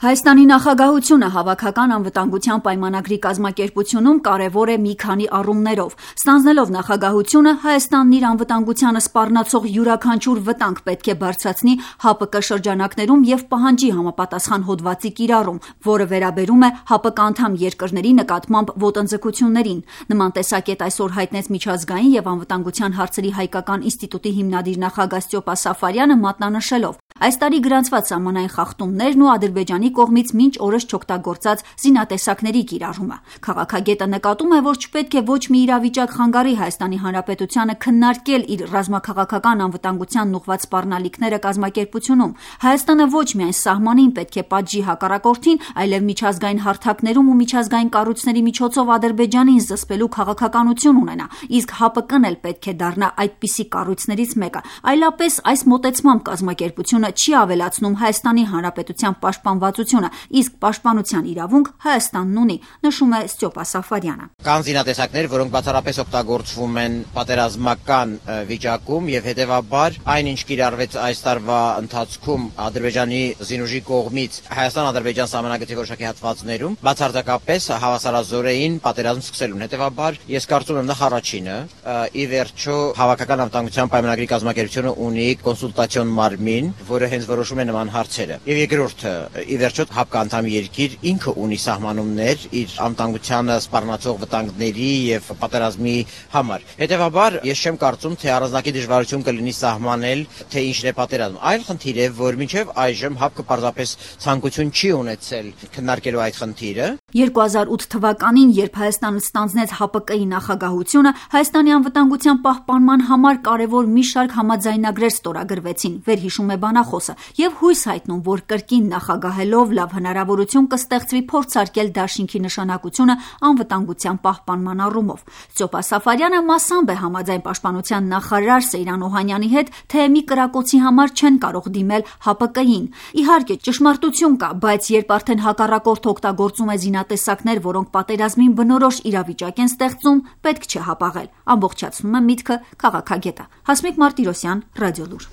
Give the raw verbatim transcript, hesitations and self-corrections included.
Հայաստանի նախագահությունը հավաքական անվտանգության պայմանագրի կազմակերպությունում կարևոր է մի քանի առումներով։ Ստանձնելով նախագահությունը, Հայաստանն իր անվտանգությանը սպառնացող յուրաքանչյուր վտանգ պետք է բարձրացնի ՀԱՊԿ շրջանակներում և պահանջի համապատասխան հոդվածի կիրառում, որը վերաբերում է ՀԱՊԿ անդամ երկրների նկատմամբ ոտնձգություններին։ Նման տեսակետ այսօր հայտնեց միջազգային և անվտանգության հարցերի հայկական ինստիտուտի հիմնադիր նախագահ Ստյոպա Սաֆարյանը, մատնանշելով. Այս տարի գրանցված սահմանային խախտումներն ու Ադրբեջանի կողմից մինչ օրս չօգտագործած զինատեսակների կիրառումը։ Քաղաքագետը նկատում է, որ չպետք է ոչ մի իրավիճակ խանգարի Հայաստանի Հանրապետությանը քննարկել իր ռազմաքաղաքական անվտանգությանն ուղղված սպառնալիքները կազմակերպությունում։ Հայաստանը ոչ միայն սահմանին պետք է պատժի հակառակորդին, այլև միջազգային հարթակներում ու միջազգային կառույցների միջոցով Ադրբեջանին զսպելու քաղաքականություն ունենա, իսկ ՀԱՊԿ-ն էլ պետք է դառնա այդպիսի կառույցներից մեկը։ Այլապես այս մոտեցմամբ կազմակերպությունը չի ավելացնում Հայաստանի Հանրապետության պաշտպանվածությունը, իսկ պաշտպանության իրավունք Հայաստանն ունի, նշում է Ստյոպա Սաֆարյանը։ Կան զինատեսակներ, որոնք բացառապես օգտագործվում են պատերազմական վիճակում եւ հետեւաբար այնինչ կիրառվեց այս տարվա ընթացքում Ադրբեջանի զինուժի կողմից Հայաստան-Ադրբեջան սահմանագծի որոշակի հատվածներում բացարձակապես հավասարազորային պատերազմ սկսելուն։ Հետեւաբար ես կարծում եմ նախ առաջինը, ի վերջո հավաքական անվտանգության պայմանագրի կազմակերպությունը ունի կոնսուլտացիոն մարմին, որը հենց որոշում է նման հարցերը։ Եվ երկրորդը, ի վերջո ՀԱՊԿ անդամ երկիր ինքը ունի սահմանումներ իր անվտանգությանը սպառնացող վտանգների եւ պատերազմի համար։ Հետեւաբար ես չեմ կարծում, թե առանձնակի դժվարություն կլինի սահմանել, թե ինչն է պատերազմ։ Այլ խնդիր է, որ մինչեւ այժմ ՀԱՊԿ պարզապես ցանկություն չի ունեցել քննարկելու այդ խնդիրը։ երկու հազար ութ թվականին, երբ Հայաստանը ստանձնեց ՀԱՊԿ-ի նախագահությունը, Հայաստանի անվտանգության պահպանման համար կարևոր մի շարք համաձայնագրեր ստորագրվեցին, վերհիշում է բանախոսը, եւ հույս հայտնում, որ կրկին նախագահելով լավ հնարավորություն կստեղծվի փորձարկել դաշինքի նշանակությունը անվտանգության պահպանման առումով։ Ստյոպա Սաֆարյանը մասամբ է համաձայն պաշտպանության նախարար Սեյրան Օհանյանի հետ, թե մի կրակոցի համար չեն կարող դիմել ՀԱՊԿ-ին։ Իհարկե, ճշմարտություն կա, բայց երբ արդեն հակառակորդը օգտագործում է զինատեսակներ, որոնք պատերազմին բնորոշ իրավիճակ են ստեղծում, պետք չէ հապաղել, ամբողջացնում է միտքը քաղաքագետը։ Հասմիկ Մարտիրոսյան, Ռադիոլուր։